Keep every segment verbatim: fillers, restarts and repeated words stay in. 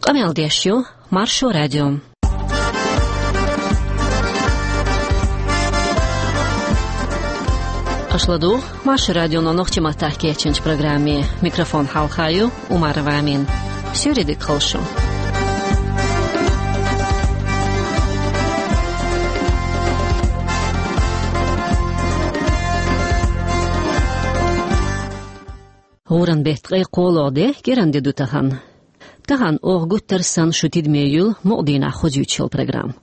Къамел деш ю Маршо радио. Аша ладугӀу Маршо радионо нохчийн маттахь кечйинчу программе. Микрофон хьалха ю Умарова Амина. Суьйре дика хуьлда шун. ГӀуран беттан ткъе кхоалгӀа де, кӀиран де ду тахана. Тахана оха гуттар а санна шу тидаме юьллу мукъа дийнахь хозуьйтуш йолу программа.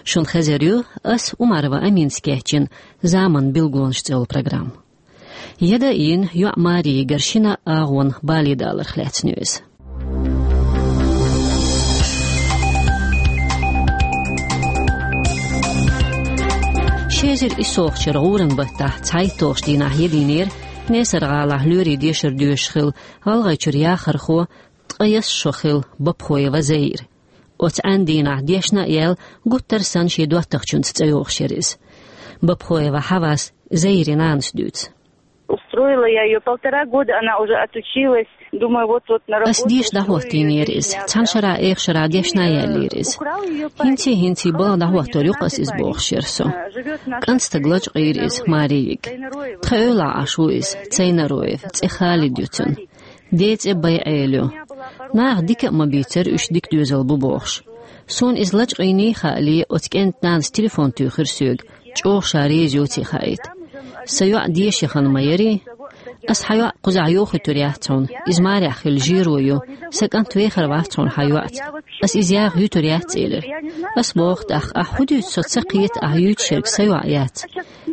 Шуна хезар ю ас, Умарова Аминас кечйина «Заманан билгалонаш» цӀе йолу программа. Яда а йина, йоӀ Мари йигира шина агӀонан бале даларх лаьцна ю иза. Ши эзар иссалгӀачу шарахь гӀуран баттахь цхьайтталгӀачу дийнахь ядийнера Несар-гӀалахь лоьрийн дешар доьшуш хилла ГӀалгӀайчуьра яхархо, ткъе ялх шо хилла Бапхоева Заира. Оцу Ӏаьнан дийнахь дешна а яьлла, гуттар а санна шен доттагӀчуьнца цӀа йогӀуш яра иза. Бапхоева Хьавас Заирин нанас дуьйцу. Устроила я её полтора года, она уже отучилась. Думаю, вот-вот на работу устроюсь. Ас деша дӀахӀоттийнера иза. Цхьана шарахь, эха шарахь дешна а яьллера иза. ХӀинций-хӀинций балха дӀахӀоттор ю-кх ас иза, бохуш яра со. КӀант стаг лачкъийра иза, Мари йига. Тхан эвлахь Ӏаш ву иза, Цайнароев, цӀе Халид ю цуьнан. Ден цӀе БайӀел ю. Наха дика а ма бийцара, уьш дика доьзал бу бохуш. Суна иза лачкъийний а хаале, оцу кӀентан нанас телефон туьйхира соьга, чӀогӀа ша реза йоций хаийта. Сан йоӀ деша яхана ма ярий. Ас хьан йоӀ кхузахь йохуьйтур яц хьуна, иза марехь хилла жеро ю, сан кӀант вехар вац хьуна хьан йоӀца. Ас иза яха юьтур яц, элира. Ас боху тӀаккха, ахь хӀун дуьйцу, со ца кхета, ахь юьйцуш ерг сан йоӀ яц.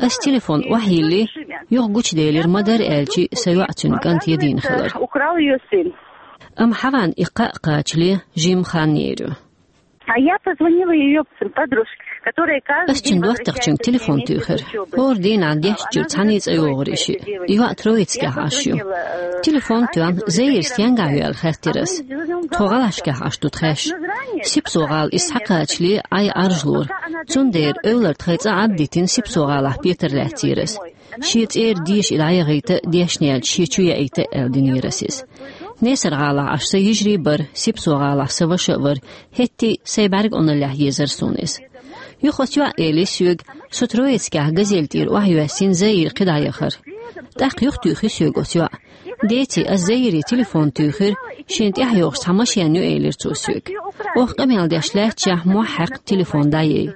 Ас телефон охьайиллий, юха гучуделира, ма-дарра аьлча, сан йоӀ, цуьнан кӀант ядийна хилар. Украл её сын. Амма Хьаван и кхаъ кхачале жимма хан йийр ю. А я позвонила её подружке, которая каждый день возвращается с семьей с учёбы. Ас цуьнан доттагӀчуьнга телефон туьйхира. ХӀора дийнахь дешначуьра цхьаьний цӀа йогӀура и шиъ. И йоӀ Троицкехь Ӏаш ю. Телефон а тоьхна, Заира стенгахь ю аьлла хаьттира ас. Тхо гӀалашкахь Ӏаш ду тхаьш. Сипсо-гӀала иза схьакхачале Ӏай Ӏаржлора. Цундела эвлара тхайн цӀа Ӏад а дитина, Сипсо-гӀалахь петар лаьцнера ас. Шен цӀера деша и дӀаяхийта, дешна яьлча шен чу яийта аьлла динера ас иза. Несар-гӀалахь Ӏаш сан йижарий бара, Сипсо-гӀалахь сан ваша а вара, хӀетте а сайн бӀаьрг Ӏуналлехь езара суна иза. Юха оцу йоӀа элира соьга, со Троицкехь газель тӀера охьайоьссина Заира кхидӀа яхар. ТӀаккха юхатуьйхира соьга оцу йоӀа. Деций, ас Заире телефон туьйхира, шена тӀаьхьа йогӀуш цхьа машен ю, элира цо соьга. Оха къамел деш лаьтташехь, мохь хьаькхна телефон дӀаяьй.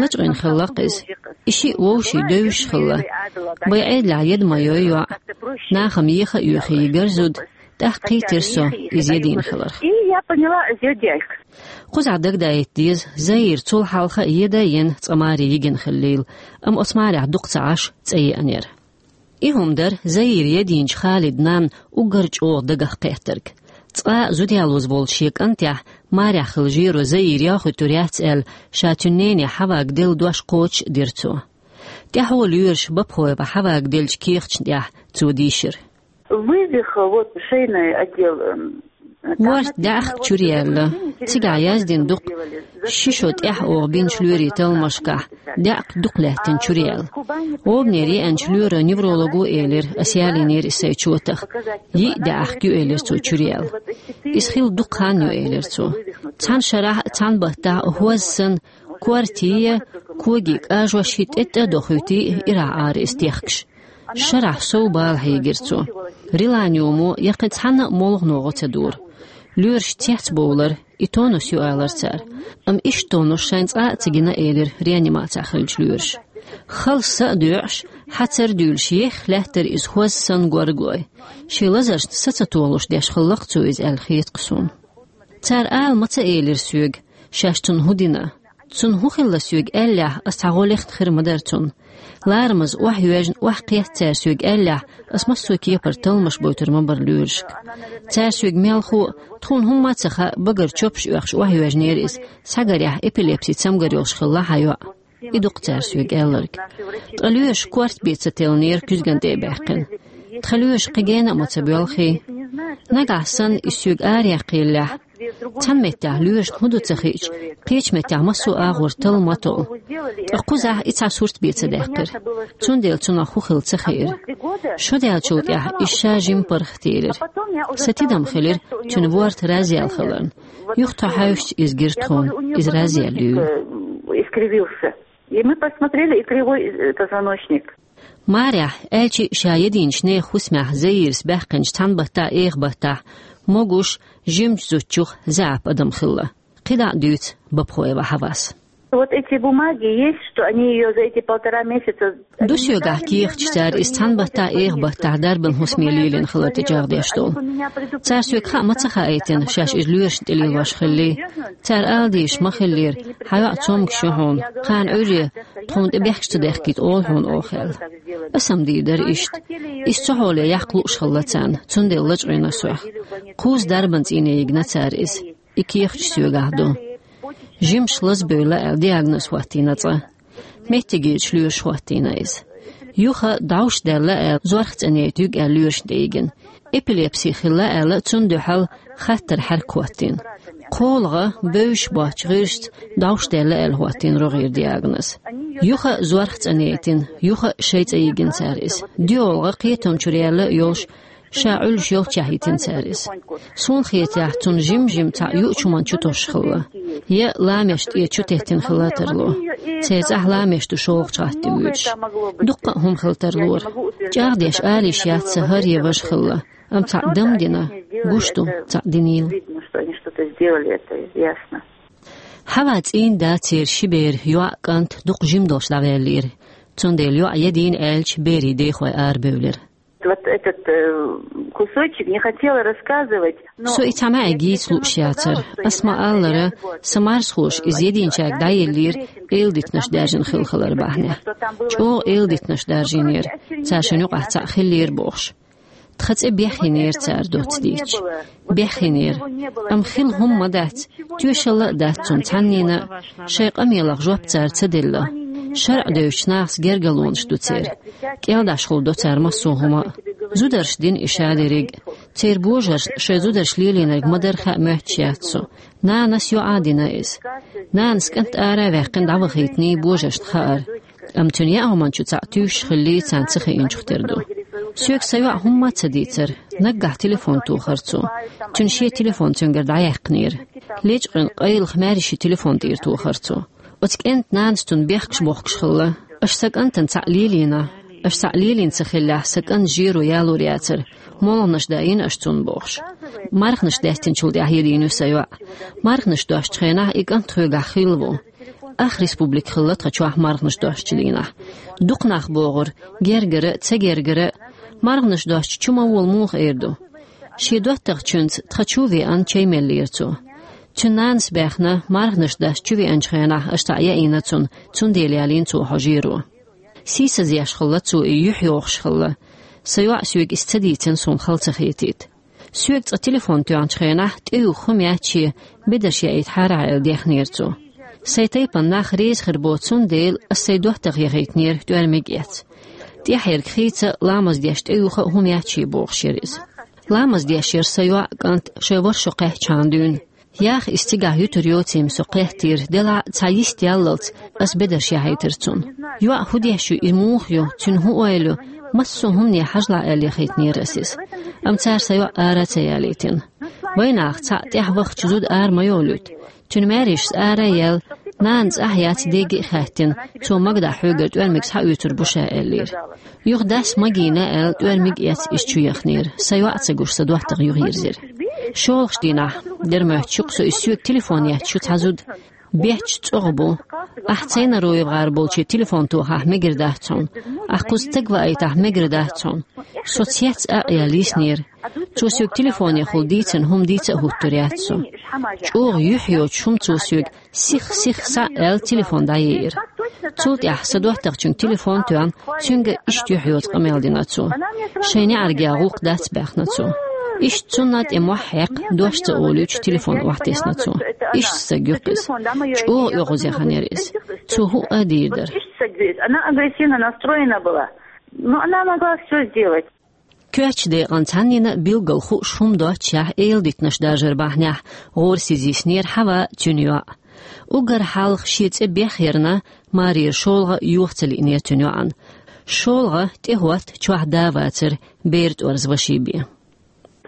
Лачкъийна хилла-кх иза. И шиъ вовшийн девзаш хилла. БайӀелехь яда ма йой йоӀ. Нахана еха а йоьхий йигара зуда, тӀаккха кхийтира со иза ядийна хиларх. И я поняла, из её дядька. Кхузахь дагадаийта деза, Заира цул хьалха а яда а йина, цкъа маре йигина хиллийла, амма оцу марехь дукха ца Ӏаш, цӀа еанера. И хӀума дара Заира ядийначу Халидан нанна уггар чӀогӀа дагах кхеттарг. Цкъа а зуда ялоза волчу шен кӀантехь марехь хилла жеро Заира йохуьйтур яц аьлла, ша цуьнан нене Хьавага делла дош кхочуш а дира цо. ТӀаьхьо лоьраша Бапхоева Хьавага деллачу кехаташна тӀехь цо дийшира. Вывих, вот, шейный отдел, эм, ворхӀ даьӀахк чуьра яьлла. Цигахь яздина ду-кх, ши шо тӀаьхьа оха бинчу лоьрийн талламашкахь даьӀахк дукха лаьттина чуьра яьлла. ГӀобанера еанчу лоьро невролого элира, ас ялийнера иза сайн чотах. Йиъ даьӀахк ю, элира цо, чуьра яьлла. Иза хилла дукха хан ю, элира цо. Цхьана шарахь а, цхьана баттахь а хӀоз санна, корта а, коги а, кӀажош а тӀе-тӀе а дохуьйтий, ирахь ара иза техкаш. Шарахь сов бала хьийгира цо. Реланиумо я кхин цхьанна а молхано гӀо ца дора. Лоьраш цецбовлара, и тонус ю алара цара. Амма иштта тонус шайна цкъа а ца гина, элира реанимацехь хиллачу лоьраша. Хала са а доьӀуш, хьацар а дуьйлуш, ехха лаьттара иза хӀоз санна горгой. Шен лазаршна са ца толуш деш хилла-кх цо иза аьлла хета-кх суна. Цара ала ма ца элира соьга, шаьш цунна хӀун дина. Цунна хӀун хилла соьга аьллехь, ас цхьа гӀо лехна хир ма дара цунна. Ларамаза охьайоьжна, охьакхетта цара соьга аьллехь, ас массо а кепара талламаш бойтур ма бара лоьрашка. Цара соьга мелхо а, тхуна хӀумма а ца хаьа, багара чопаш оьхуш охьайоьжнера иза, схьагарехь эпилепси цамгар йолуш хилла хьан йоӀ. И ду-кх цара соьга аьлларг. Ткъа лоьраша корта бен ца теллинера куьзгана тӀе а баьккхина. Тхан лоьраша кхин гена а ма ца боьлхий. Нагахь санна иза соьга араяккхаеллехь, Цхьана меттехь лоьрашна хӀун ду ца хиъча, кхечу меттехь массо а агӀор талла ма толу. Ткъа кхузахь и цхьа сурт бен ца даьккхира. Цундела цунах хӀун хилла ца хиира. Шо даьллачул тӀаьхьа иза ша жимма паргӀатделира. Сан тидам хилира цуьнан ворта разъяла хиларна. Юха тхо хьаьвсича иза гира тхуна, иза разъяьлла юьйлу. Искривился. И мы посмотрели, и кривой, э, позвоночник. Марехь, аьлча а ша единчу нехан хӀусамехь Заирас баьккхинчу цхьана баттахь а, эха баттахь а, могуш, жимачу зудчух заьӀап адам хилла. КхидӀа а дуьйцу Бабхоева Хьавас. Вот эти бумаги есть, что они её за эти полтора месяца... Ду соьгахь кехаташ цара, иза цхьана баттахь а, эха баттахь а дарбан хӀусаме лелийна хилар тӀечӀагӀдеш долу. Цара соьга хаа ма ца хаийтина, шаьш иза лоьрашна тӀе лелош хилла. Цара ала дезаш ма хиллера, хьан йоӀ цомгуш ю хьуна, кхана Ӏуьйре тхуна тӀе бехкаш ца дехкийта олу хьуна оха аьлла. Аса-м дийр дара иштта. Иза цу хьоле яккха лууш хилла царна, цундела лачкъийна со. Кхузза дарбан цӀийне йигна цара иза. И кехаташ соьгахь ду. Жимчу лазабевлла аьлла диагноз хӀоттийна цкъа. Меттигерчу лоьраша хӀоттийна иза. Юха дӀовш даьлла аьлла зорх цӀанъяйта юьгу аьлла лоьрашна тӀе йигина. Эпилепси хилла аьлла, цунна дуьхьал хаттар хьаьрк хӀоттийна. КхоалгӀа бевзаш боцчу гӀирсаца дӀовш даьлла аьлла хӀоттийна рогӀера диагноз. Юха а зорх цӀанъяйтина, юха а шайн цӀа йигина цара иза. ДоьалгӀа кхетам чуьра яьлла а йолуш, ша Ӏуьллуш йолччохь йитина цара иза. Суна хетарехь, цунна жим-жим цхьаъ юучу хӀуманна чу тосуш хилла. Я ламеш тӀе чу теттина хилла тарло. Церан цӀахь ламеш ду шолгӀачу гӀатта вуьйцуш. Дуккха а хӀума хилла тарлора. ЧӀагӀдеш ала йиш яц сан хӀара я важа хилла. Амма цхьаъ дам дина, гуш ду, цхьаъ динийла. Видно, что они что-то сделали, это ясно. Хьава цӀийнан да, церан ши бер, йоӀ, кӀант дукха жима долуш дӀаваьллера. Цундела йоӀ ядийна аьлча, берийн дехой арабевлира. Вот этот, э, кусочек не хотела рассказывать, но... Со и цхьа маьӀе гийца лууш яцара. Ас ма-аллара, сан марзхоша иза единчаьрга дӀаеллера, эладитанаш даьржина хилла хилар бахьанехь. ЧӀогӀа эладитанаш даржийнера, цара шайна юкъахь цхьаъ хиллера бохуш. Тхан цӀе бехйинера цара доцца дийцча. Бехйинера. Амма хилла хӀума ма дац, тоьшалла а дац цунна цхьаннена а, шайн къамелах жоп цара ца делла. ШарӀ девзачу нахаца гергарлонаш ду церан. КӀелдӀашхула до цара массо а хӀума а. Зударша дина и ша дерриг а. Церан божаршна шайн зударша лелийнарг ма-дарра хаа моьттуш яц со. Нанас йоӀа а дина иза. Нанас кӀант ара а ваьккхина дӀавахийтиний божаршна хаьара. Амма цуьнан яа хӀуманна чу цхьаъ туьйсуш хиллий, царна ца хиъначух тера ду. Соьга сан йоӀа хӀумма а ца дийцара, наггахь телефон тохара цо. Цуьнан шен телефон цуьнгара дӀаяьккхинера. Лечкъина къайлаха маьрша телефон тӀера тохара цо. Оцу кӀентан нанас цунна бехкаш бохкуш хилла. Аша сан кӀантана цхьаъ лелийна. Аша цхьаъ лелийна ца хиллехь, сан кӀанта жеро ялор яцара. МолгӀанаш даийна аша цунна бохуш. МархӀанаш даьстинчул тӀаьхьа ядийна ю сан йоӀ. МархӀанаш достучу хенахь и кӀант тхоьгахь хилла ву. Ах республика хилла тхан чохь марханаш достучу дийнахь. Дукха нах богӀура, гергара а, ца гергара а, марханаш достучу чу ма волу муха эр ду. Шен доттагӀчуьнца тхан чу а веана чай меллера цо. Цуьнан нанас баьхна, марханаш достучу веанчу хенахь аша цхьаъ яийна цунна, цундела ялийна цо хьо жеро. Сийсазъеш хилла цо и, юьхь йохуш хилла. Сан йоӀа соьга иза ца дийцина, суна хала ца хетийта. Соьга цкъа телефон тоьхначу хенахь, тӀеюха хӀума яц шен, бедарш яийта хьарахь аьлла дехнера цо. Сайн тайпана нах реза хир бо, цундела ас сайн доттагӀа яхийтинера тӀоьрмиг эцна. ТӀаьхьарг хийца а, ламаз деш тӀеюха а хӀума яц шен бохуш яра иза. Ламаз деш яра сан йоӀ, кӀант шайн ворхӀ шо кхаьччхьана дуьйна. Яха иза цигахь юьтур йоцийла со кхеттера, делахь а цхьа йист яллалц ас бедарш яхьийтира цунна. ЙоӀ хӀун деш ю, и муха ю, цуьнан хӀун ойла ю, массо а хӀумане хьажалахь аьлла яхийтинера ас иза. Амма цара сан йоӀ ара а ца ялийтина. Вайнах цхьаъ тӀаьхьа вахча зуда ара ма йолуьйту. Цуьнан маьршас ара а яьлла, нанас ахь яц дега а хаьттина, цо магадахь хьоьгара тӀоьрмиг схьаоьцур бу ша аьллера. Юха дас магийна аьлла, тӀоьрмиг эцна иза чу яхнера. Сан йоӀ а ца гуш, сан доттагӀа юхайирзира. ШолгӀачу дийнахь дермоьтту шух со, иза соьга телефон етташ ю цхьа зуда. Бетташ цӀогӀа бу. Ахь Цайнароевгара болче телефон тохахь мегар дац хьуна. Ахь кхуза стаг ваийтахь мегар дац хьуна. Со цец а а яьлла йиснера. Цо соьга телефонехула дийцина хӀума дийца а хӀуттур яц со. ЧӀогӀа юьхь йоцуш хӀума цо соьга сих, сих, схьа аьлла телефон дӀаеира. Цул тӀаьхьа сан доттагӀчуьнга телефон тоьхна, цуьнга иштта юьхь йоцу къамел дина цо. Шайн неӀаргех гӀуллакх дац баьхна цо. Иштта цунна тӀе мохь хьаькхна, дош ца олуьйтуш телефон охьатесна цо. Иштта стаг ю-кх иза. ЧӀогӀа оьгӀазъяхана яра иза. Цо хӀуъа а дийр дара. Она агрессивно настроена была. Но она могла все сделать. Коьртачу декъан цхьаннена билггал хууш хӀума доццушехь, эладитанаш даржар бахьанехь гӀорасиз йиснера Хьава, цуьнан йоӀ. Уггар хьалха шен цӀе бехъярна, марера шолгӀа йоха ца лиънера цуьнан йоӀана. ШолгӀа тӀе хӀотта чохь да вацара, бер тӀорза ваший бен.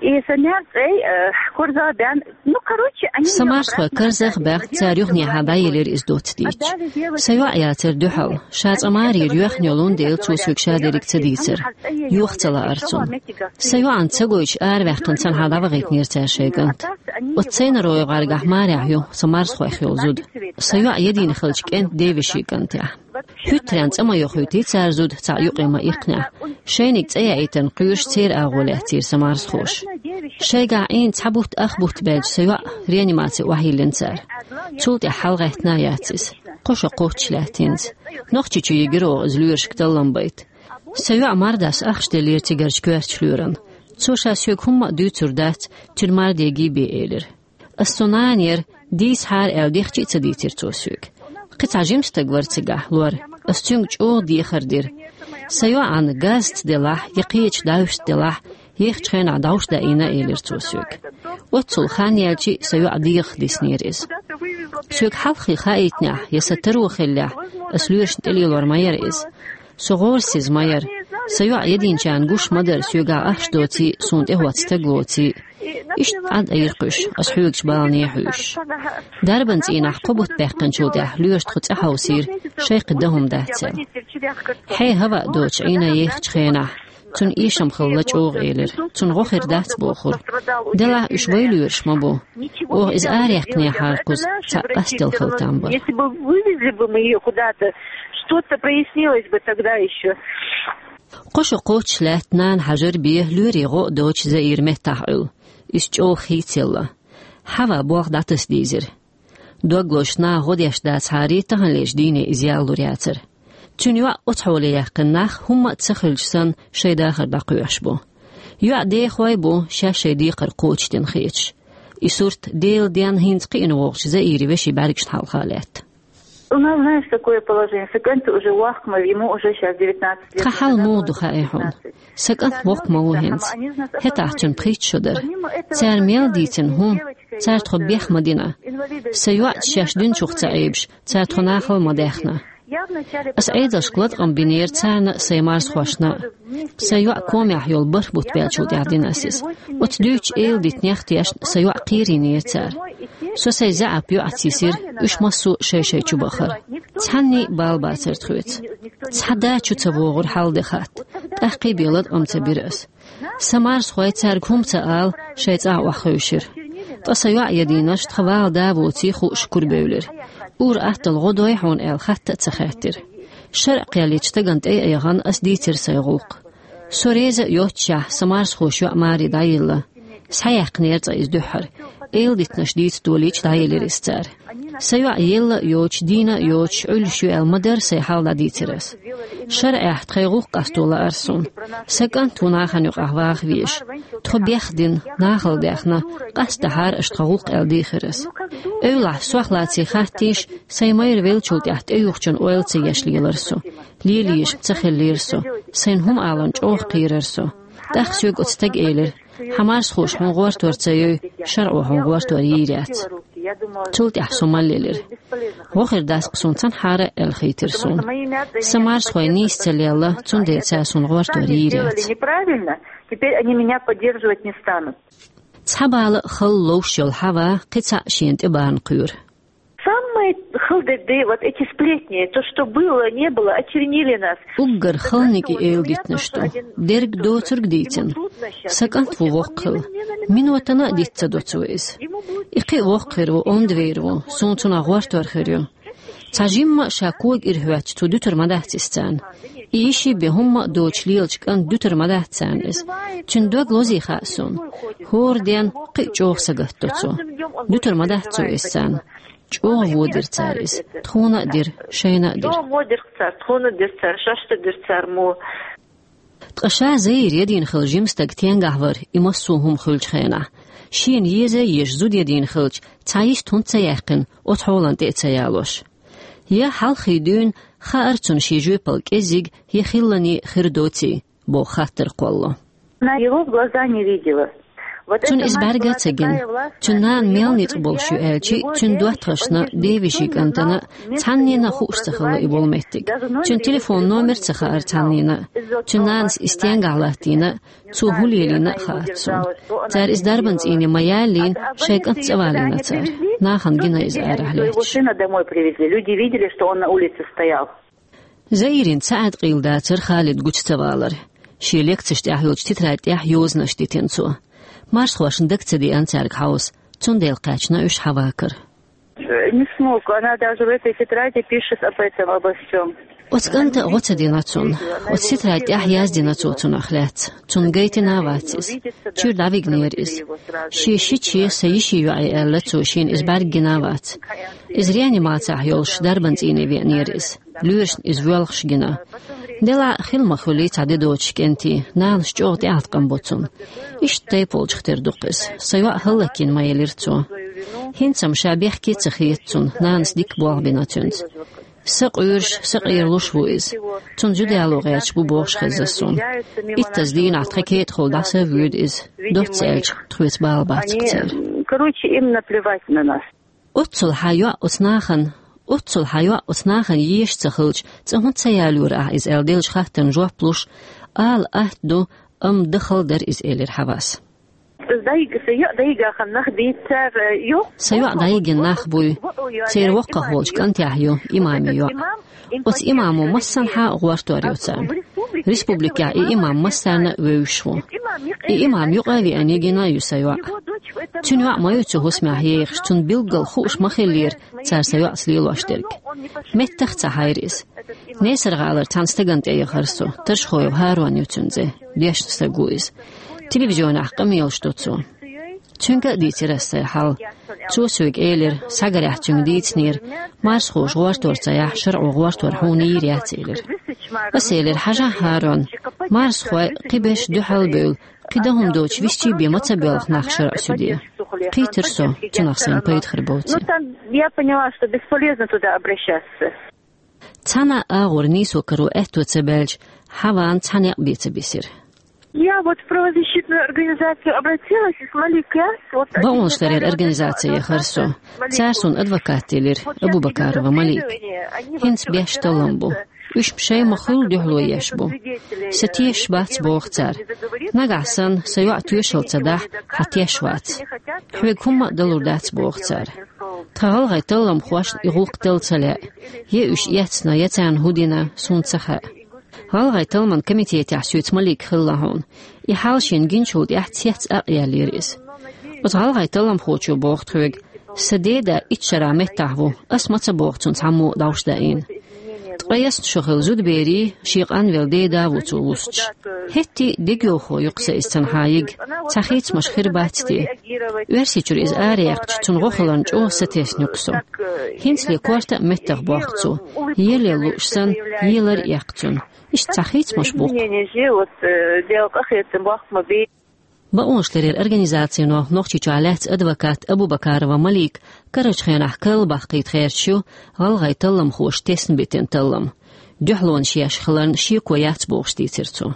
И са маьрцӀай, э, корзагӀа бен, ну, короче, они... Сан марсхой карзах баьхна, цара юханехьа дӀаелира иза доцца дийцча. Сан йоӀ яцара дуьхьал. Ша цкъа марера йоьхна йолун дела, цо соьга ша дерриг ца дийцира. Йоха ца лаара цунна. Сан йоӀана ца гойтуш, араваьккхина цхьанхьа дӀавахийтинера цара шайн кӀант. Оцу цӀийнаройн гӀаргахь марехь ю сан марсхойх йолу зуда. Сан йоӀ едина хиллачу кӀентан ден вешин кӀантехь. ХӀуьттаренна цӀа ма йохуьйтий цара зуда цхьа юкъе ма иккхинехь. Шайниг цӀа яийтарна кхоьруш церан агӀо лаьцнера сан марсхоша. Шайгахь Ӏийна цхьа бутт ах бутт баьлча, сан йоӀ реанимаци охьайиллина цара. Цул тӀаьхьа хьалагӀаьттина а яц иза. Кхо шо кхоччуш лаьтта хӀинца. Нохчийчу йигира оха иза лоьрашка таллам байта. Сан йоӀ мардас ахча деллера цигарчу коьртачу лоьрана. Цо ша соьга хӀумма а дуьйцур дац, цуьнан марде гий бен элира. Ас цу нана яра, дийцахьара аьлла, дехча а ца дийцира цо соьга. Кхин цхьа жима стаг вара цигахь лор. Ас цуьнга чӀогӀа дехар дира. Сан йоӀана газаца делахь, я кхечу дӀахӀуьста делахь, ехачу хенахь дӀовш даийна, элира цо соьга. Оццул хан яьлча а сан йоӀ дегӀах диснера иза. Соьга хьалххе хаийтинехь, я сан таро хиллехь, ас лоьрашна тӀелелор ма яра иза. Со гӀорасиз ма яра. Сан йоӀ единчарна гуш ма дара, соьгахь ахча доций, суна тӀехӀотта стаг лоций. Иштта Ӏад айра кхуьш, ас хьоьгучу балане хьуьйсуш. Дарбан цӀийнахь кхо бутт баьккхинчул тӀаьхьа лоьраша тхо цӀа хьовсийра, шайх дан хӀума дац аьлла. Хье, хӀаваъ доцуш Ӏийна ехачу хенахь, цунна эшам хилла чӀогӀа элира. Цунна гӀо хир дац бохура. Делахь уьш вай лоьраш ма бу. Оха иза араяьккхинехьара кхуза цхьаъ къастел хила там бара. Если бы вывезли бы мы её куда-то, что-то прояснилось бы тогда ещё. Кхо шо кхоччуш лаьтта нана хьажар бен лоьрийн гӀо а доцуш Заира меттахь Ӏуьллу. Иза чӀогӀа хийцаелла. Хьава болх дӀатаса дийзира. Дог лозуш наха гӀо деш дацахьара, таханлерчу дийне иза ялалур яцара. Цуьнан йоӀ оцу хьоле яьккхина нах, хӀумма а ца хилча санна, шайн дахар дӀакхоьхьуш бу. ЙоӀ дехой бу, шаьш шайн декхар кхочушдина хеташ. И сурт Делан денна хӀинца кхиъна вогӀучу Заиран вешин бӀаьргашна хьалха лаьтта. У нас, знаешь, такое положение. Сан кӀант уже воккха ма ву, ему уже щас девятнадцать лет. Тхан хьал муха ду хаьий хьуна? Сан кӀант воккха ма ву хӀинца. ХӀетахь цуьнан пхийтта шо дара. Цара мел дийцина хӀума, цара тхо бех ма дина. Сан йоӀца шаьш динчух ца Ӏебаш, цара тхо нахала ма даьхна. Ас Ӏедалшка латкъам бинера царна а, сайн марсхошна а. Сайн йоӀ комехь йолу бархӀ бутт баьлчул тӀаьхьа дина ас иза. Оцу дуьйцучу эладитанех тешна сан йоӀ кхерийнера цара. Со сайн заьӀап йоӀаца йисира, уьш массо а шай-шай чу бахара. Цхьанний а бала бацара тхоьца. Цхьа да чу ца вогӀура хьал де хатта. ТӀаккхий бен латкъам ца бира ас. Сан марсхой цаьрга хӀума ца ала, шайн цӀахь охьахевшира. Ткъа сан йоӀ едийнарш тхан вала да воций хууш курабевлира. Ур-атталла гӀо дой хьуна аьлла хатта а ца хаьттира. ШарӀ кхел йечу стагана тӀе а яхана, ас дийцира сайн гӀуллакх. Со реза а йоццушехь, сан марсхоша йоӀ маре дӀайилла. Схьаяьккхинера цкъа иза дуьххьара. Эладитанаш дийца долийча, дӀаелира иза цара. Сан йоӀ елла а йоцуш, дийна а йоцуш, Ӏуьллуш ю аьлла ма-дарра сайн хьал дӀадийцира ас. ШарӀехь тхайн гӀуллакх къасто лаьара суна. Сан кӀант ву нахана юкъахь ваха везаш. Тхо бехдина, нахала даьхна, къастадахьара аша тхан гӀуллакх аьлла дийхира ас. Эвлахь, сох лаций хаттийша, сайн майра веллачул тӀаьхьа тӀеюхучун ойла ца еш лелара со. Лелаеш ца хиллера со. Сайна хӀума аларна чӀогӀа кхерара со. ТӀаккха соьга оцу стага элира: «Хьан марсхоша хьуна гӀортор ца йой, шарӀо хьуна гӀортор йийр яц». Цул тӀаьхьа со мел лелира. ГӀо хир дац-кх суна цхьанхьара а аьлла хийтира суна. Сан марсхой нийса ца лелла, цундела цара суна гӀортор йийр яц. Неправильно, теперь они меня поддерживать не станут. Цхьа бала а хала ловш йолу Хьава кхин цхьаъ шена тӀе бахна кхоьру. Самые хала дерг, вот эти сплетни, то, что было, не было, очернили нас. Уггар халаниг и эладитанаш ду. Дерг доцург дийцина. Сан кӀант ву воккха хилла. Минотана а диц ца до цо иза. И кхин а воккха хир ву, онда вер ву, суна цунах гӀортор хир ю. Цхьа жимма а ша кога ира хӀоьттича, цо дуьтур ма дац иза царна. И йиш бен хӀумма а доцуш лелачу кӀанта дуьтур ма дац царна иза. Цуьнан дог лозий хаьа суна. ХӀора ден кхин а чӀогӀа сагатдо цо. Дуьтур ма дац цо иза царна. ЧӀогӀа вон дира цара иза. Тхуна а дира, шайна а дира. Ткъа ша Заира едина хилла жима стаг тенгахь вара и массо а хӀума хуьлучу хенахь. Шена еза а езаш зуда едина хилча, цхьа йист хӀунда ца яьккхина, оцу хьолана тӀе а ца ялош? Я хьалххе дуьйна хаьара цунна шен жоьпалла кӀеззиг я хиллане хир доций, боху хаттар кхоллало. Она его в глаза не видела. Цунна иза бӀарга а ца гина. Цуьнан нана мел ницкъ болуш ю аьлча, цуьнан доттагӀашна, девешин кӀантана цхьаннена а хууш ца хилла и болу меттиг. Цуьнан телефон номер а ца хаьара цхьаннена. Цуьнан нанас и стенгахь латтийна, цо хӀун лелийна а хаьац цунна. Цара иза дарбан цӀийне ма яллийна, шайн кӀант цӀавалийна цара. Нахана гина иза арахь летташ. Его сына домой привезли. Люди видели, что он на улице стоял. Заирина цхьа а къийла дацара Халида гучу ца валар. Шен лекцеш тӀехь йолчу тетрадь тӀехь йозанаш дитина цо. Марсхошна дага ца деана цаьрга хьовса, цундела кхаьчна уьш Хьавакара. Не смог. Она даже в этой тетради пишет об этом, обо всём. Оцу кӀанта гӀо ца дина цунна. Оцу тетрадь тӀехь яздина цо цунах лаьцна. Цунна гайтина а вац иза. Чуьра дӀавигнера иза. Шен шиче, сан йишин йоӀе аьлла цо, шена иза бӀаьрга гина а вац. Иза реанимацехь йолуш дарбан цӀийне веанера иза. Лоьрашна иза воьлхуш гина. Делахь а хила ма хуьлий цхьа де доцуш кӀентий, нанас чӀогӀа тӀеӀаткъам бо цунна. Иштта тайпа волчух тера ду-кх иза. Сан йоӀ хӀаллакйина ма елира цо. ХӀинца-м ша бехке а ца хета цунна, нанас дика болх бина цуьнца. Са къуьйраш, са къера луш ву иза. Цунна зуда яло гӀерташ бу бохуш хезна суна. Иттаза дийнахь тхан кетӀахула дӀаса а воьду иза. Доцца аьлча, тхоьца бала бац-кх церан. Короче, им наплевать на нас. Оццул хьан йоӀ оцу нахана, оццул хьан йоӀ оцу нахана езаш ца хилча, цкъа хӀунда ца ялайора ахь иза аьлла деллачу хаттарна жоп луш, ала атта ду, амма дан хала дара иза, элира Хьавас. Сан йоӀ дӀайигна нах буй, церан воккхах волчу кӀантехь ю имаман йоӀ. Оцу имамо массанхьа а гӀортор йо царна. Республикехь и имам массарна а вевзаш ву. И имам юкъа а веана гина а ю сан йоӀ. Цуьнан йоӀ ма ю цу хӀусамехь ехаш, цунна билггал хууш ма хиллера цара сан йоӀца лелош дерг. Меттах а ца хьайра иза. Несар-гӀалара цхьана стагана тӀе яхара со, Таршхоев ХӀарон ю цуьнан цӀе, дешна стаг ву иза. Телевизионехь къамелаш до цо. Цуьнга а дийцира аса сайн хьал. Цо соьга элира, схьагарехь цуьнга дийцинера, марсхоша гӀортор ца яхь, шарӀо гӀортор хьуна йийр яц, элира. Аса элира, хьажахь, ХӀарон, марсхой кхин берш дуьхьал а бевлла, кхин дан хӀума доцуш висчий бен ма ца боьлху нах шарӀан суьде. Кхийтира со, цунах сайна пайда хир боций. Ну, там я поняла, что бесполезно туда обращаться. Цхьана а агӀор нийсо каро аьтто ца баьлча, Хьаван цхьа некъ бен ца бисира. Я вот в правозащитную организацию обратилась, и с Маликом, вот... Бакъонашларъяран организаци яхара со. Цара суна адвокат делира, Абубакарова Малика. ХӀинца беш таллам бу. Уьш-м шайн ма-хуьллу дуьхьало еш бу. Сан тешаш бац, боху цара. Нагахь санна сан йоӀ тоьшалла ца дахь, хьан теш вац. Хьоьга хӀумма а далур дац, боху цара. Тхан гӀалгӀайн талламхошна и гӀуллакх дала ца лаьа. Я уьш эцна, я царна хӀун дина, суна ца хаьа. ГӀалгӀайн талламан комитетехь соьца Малик хилла хьуна. И хьал шена гинчул тӀаьхьа цец а яьллера иза. Оцу гӀалгӀайн талламхочо боху тхоьга, сан деда итт шарахь меттахь ву, ас ма ца боху цунна цхьаммо а дӀовш даийна. Ткъе ялх шо хилла зудаберий, шен къанвелла деда а ву цо вуссуш. ХӀетте а дегайовхо ю-кх сан иза цунна хьан йига, цхьа хийцамаш хир бац те. Оьрсийчуьра иза араяьккхича, цунна гӀо хиларна чӀогӀа сатесна ю-кх со. ХӀинцале корта а меттах боккху цо, елла лууш санна, елар а эккха цунна. Иштта цхьа хийцамаш бу-кх. Изменения же, вот, э, дело къахетам бохку ма бе. Бакъонашларъяран организацино Нохчийчохь лаьцна адвокат Абубакарова Малика карарчу хенахь карла баккхийта гӀерташ ю гӀалгӀайн талламхоша тесна битина таллам. Дуьхьалонаш еш хиларна шеко яц бохуш дийцира цо.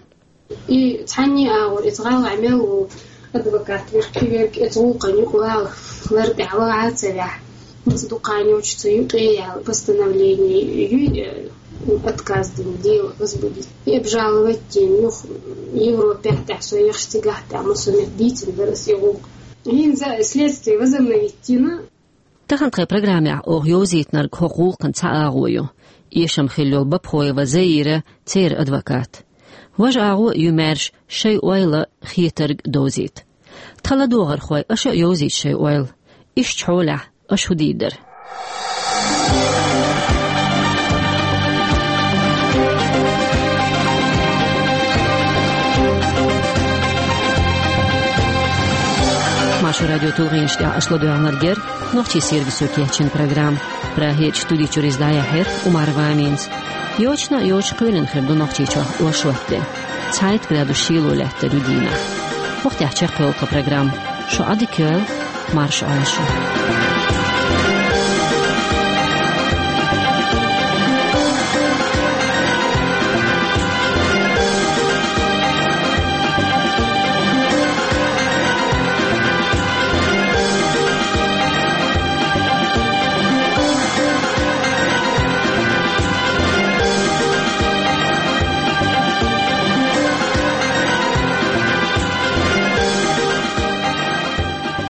И цхьанне а агӀор иза гӀалгӀа мел ву адвокат верг, кхин верг иза гӀуллакхана юкъавала лар тӀехь ваха а ца ваьхьа. Маца дукха йолчу ца юкъе яьлла постановление юй, э, отказ дина дело возбудить. И обжаловать дина юха Европехь тӀехь со ехаш цигахь тӀехь массо метта дийцина дара аса и гӀуллакх. ХӀинца следствие возобновить дина. Тахана тхайн программехь оха йовзийтинарг хӀокху гӀуллакхан цхьа агӀо ю. Эшам хилла йолу Бабхоева Заира, церан адвокат. Важа агӀо а ю маьрша шайн ойла, хетарг довзийта. Тхан ладогӀархой, аша а йовзийта шайн ойла. Иштта хьолехь, аша хӀун дийр дара? Маршо радион тулгӀенаш тӀехь аша ладоьгӀнарг яра нохчийн сервисо кечйина программа. Прагерчу студи чуьра иза дӀаяьхьира Умарова Аминас. Йочана а йоцуш кхоьлина хир ду Нохчийчохь оршот де. Цхьайтта градус шело лаьттар ю дийнахь. ХӀокху тӀехь чекхйолу тхан программа. Шу Ӏадика йойла, марша Ӏойла шу.